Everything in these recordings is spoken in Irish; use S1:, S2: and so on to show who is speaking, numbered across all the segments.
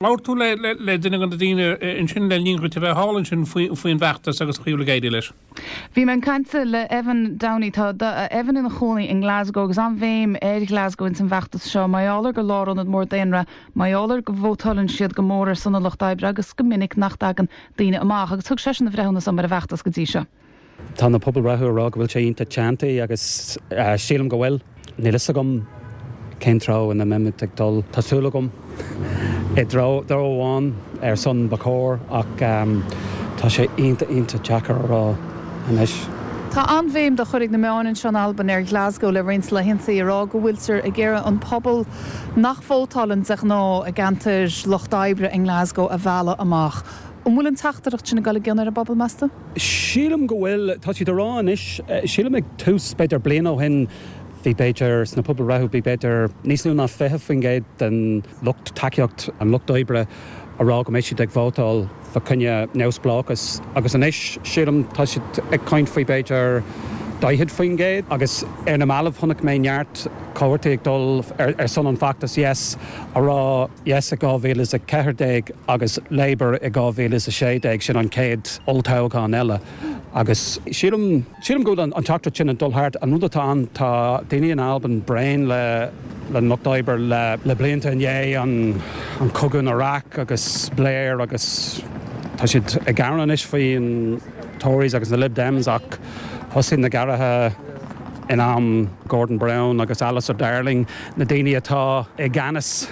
S1: Labhair tú le duine de na daoine ansin le linn dhuit a bheith thall ansin faoin bhfeachtas agus an chaoi a bhfuil ag éirí leis.
S2: Bhí mé ag caint le Evan Downey. Tá Evan ina chónaí i nGlasgow agus an-bhéim ar Ghlasgow ins an bhfeachtas seo. Mar gheall ar gur lárionad mór daonra, mar gheall ar go vótáileann siad go mór ar son an lucht oibre agus go minic nach dtagann daoine amach. Agus thug seisean a bhreithiúnas dom ar an bhfeachtas go dtí seo.
S3: Tá na pobalbhreitheanna ag rá go bhfuil sé iontach teanntaí agus sílim go bhfuil. Níl fhios agam cén treo ina mbeimid ag dul. Tá súil agam i dtreo amháin ar son ba chóir ach tá sé iontach iontach deacair a rá anois.
S2: Tá an-bhéim dá chur ag na meáin anseo in Albain ar Ghlasgow le roinnt laethanta, ag rá go bhfuiltear ag iarraidh an pobal nach vótálann de ghnáth i gceantair lucht oibre i nGlasgow a mhealladh amach. An bhfuil an teachtaireacht sin ag dul i gcion ar an bpobal, meas tú?
S3: Sílim go bhfuil. Tá siad ag rá anois, sílim ag tús, b'fhéidir bliain ó shin, bhí b'fhéidir, sna pobalbhreitheanna, bhí b'fhéidir níos lú ná 20% den lucht tacaíocht an lucht oibre a rá go mbeidh siad ag vótáil fa choinne neamhspleáchas agus anois sílim tá siad ag caint faoi b'fhéidir 40% agus ar na mallaibh chonaic mé neart comharthaí ag dul ar son an feachtas Yes a rá Yes i 2014 agus Labour i 2016, sin an chéad olltoghchán eile agus sílim, sílim go bhfuil an teachtaireacht sin ag dul thart. An rud atá ann, tá daoine in Albain bréan le an Lucht Oibre le blianta i ndiaidh an cogadh in Iraq agus Blair agus tá siad ag gearán anois faoi an Tories agus na Lib Dems ach thosaigh na gearraithe in am Gordon Brown agus Alistair Darling, na daoine atá i gceannas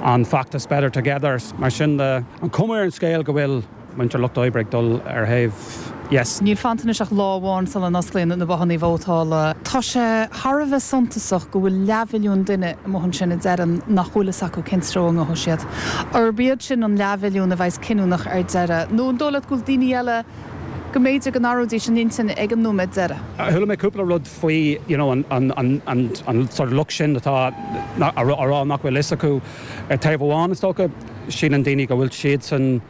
S3: an feachtas Better Together. Mar sin de, an cuma ar an scéal go bhfuil muintir Lucht Oibre ag dul ar thaobh Yes.
S2: Níl fanta anois ach lá amháin sula n-osclaíonn na bothanna vótála. Tá sé thar a bheith suntasach go bhfuil leathmhilliún duine amuigh ansin a deireann nach bhfuil fhios acu cén treo a ngabhfaidh siad. Arb iad sin an leathmhilliún a bheas cinniúnach ar deireadh? Nó an dóigh leat go bhfuil daoine eile go mb'fhéidir go n-athróidís a n-intinn ag an nóiméad deiridh?
S3: Chuala mé cúpla rud faoi you know an an an an sort of lucht sin atá a rá nach bhfuil fhios acu. Ar taobh amháin is dócha, síleann daoine go bhfuil siadsan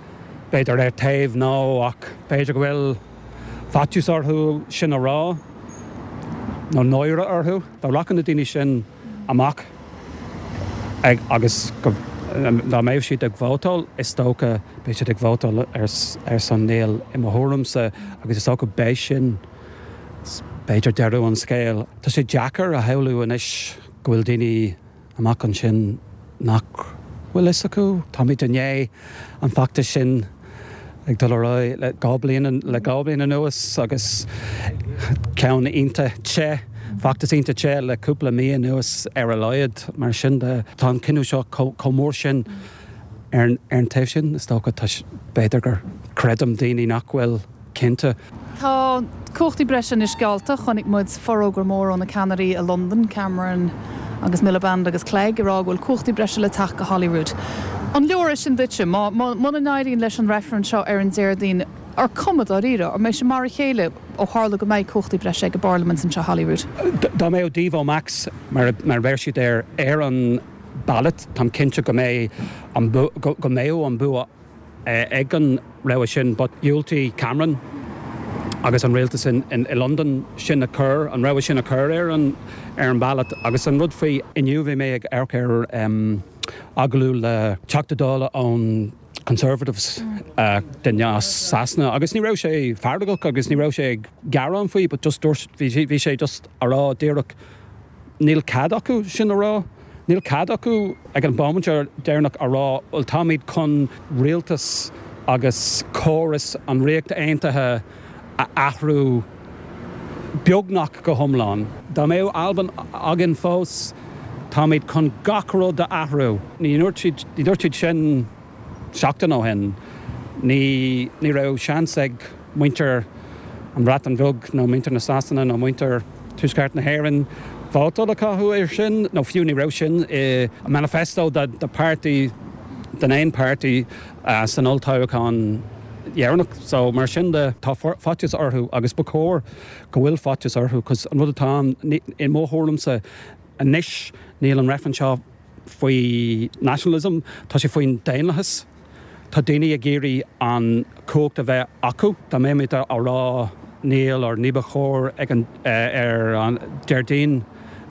S3: b'fhéidir ar taobh No ach b'fhéidir go bhfuil faitíos orthu sin a rá nó náire orthu. Dá rachadh na daoine sin amach ag agus go dá mbeadh siad ag vótáil, is dócha beidh siad ag vótáil ar son Níl i mo thuairimse agus is dócha beidh sin b'fhéidir deireadh an scéil. Tá sé deacair a shamhlú anois go bhfuil daoine amach ansin nach bhfuil fhios acu. Táimid i ndiaidh an feachtas sin ag dul ar aghaidh le 2 bliain le 2 bliain anuas agus ceann iontach te, feachtas iontach te le cúpla mí anuas ar a laghad. Mar sin de, tá an cinneadh seo chomh mór sin ar an taobh sin, is dócha, tá, b'fhéidir gur creidim daoine nach bhfuil cinnte.
S2: Tá cumhachtaí breise anois geallta. Chonaic muid forógra mór ó na ceannairí i Londain, Cameron agus Miliband agus Clegg, ag rá go bhfuil cumhachtaí breise le teacht go Holyrood. An leor é sin duitse? Muna n-éiríonn leis an reifreann seo ar an Déardaoin, ar cuma dáiríre, an mbeidh sé mar a chéile ó tharla go mbeidh cumhachtaí breise ag an bParlaimint anseo Holyrood?
S3: Dá mbeadh Devo Max, mar a deir siad air, ar an ballot, táim cinnte go mbeidh an go mbeadh an bua ag an rogha sin but dhiúltaigh Cameron agus an rialtas i Londain sin a chur, an rogha sin a chur ar an ar an ballot. Agus an rud faoi, inniu bhí mé ag amharc ar agallamh le Teachta Dála ón Conservatives duine as Sasana agus ní raibh sé feargach agus ní raibh sé ag gearán faoi but just dúirt, bhí sé just a rá díreach, Níl cead acu sin a rá. Níl cead acu ag an bhomaite deireanach a rá, bhuel táimid chun rialtas agus córas an Ríocht Aontaithe a athrú beagnach go hiomlán. Dá mbeadh Albain againn fós, táimid chun gach rud a athrú. Ní dúirt siad, ní dúirt siad sin. Seachtain ó shin, ní ní raibh seans ag muintir an Bhreatain Bheag nó muintir na Sasana nó muintir Tuaisceart na hÉireann vótáil a chaitheamh air sin, nó fiú ní raibh sin i manifesto de páirtí den aon páirtí san olltoghchán dheireanach. So mar sin de, tá faitíos orthu agus ba chóir go bhfuil faitíos orthu 'cause an rud atá ann, i mo thuairimse anois, níl an reifreann seo faoi nationalism, tá sé faoin daonlathas. Tá daoine ag iarraidh an chumhacht a bheith acu. Dá mbeimid á rá níl or ní ba chóir ag an ar an Déardaoin,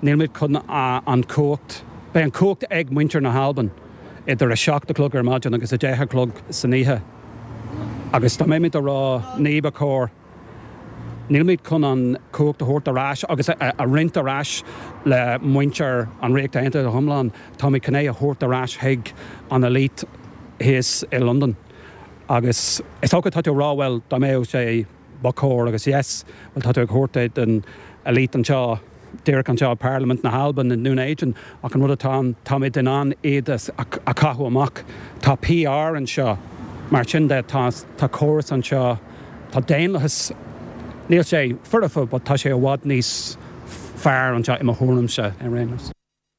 S3: nílimid chun an chumhacht, beidh an chumhacht ag muintir na hAlban. idir 7 a chlog ar maidin agus 10 a chlog san oíche. Agus dá mbeimid ag rá ní ba chóir, nílimid chun an chumhacht a thabhairt ar ais agus a roinnt ar ais le muintir an Ríocht Aontaithe go hiomlán, táimid chun é a thabhairt ar ais chuig an elite thíos i Londain. Agus is dócha tá tú ag rá bhuel dá mbeadh sé ba chóir agus yes, bhuel tá tú ag thabhairt é don elite anseo, díreach anseo i Parlaimint na hAlban i nDún Éideann ach an rud atá ann, táimid in ann iad a chaitheamh amach. Tá PR anseo, mar sin de tá tá córas anseo, tá daonlathas, níl sé foirfe but tá sé i bhfad níos fearr anseo i mo thuairimse ar aon nós.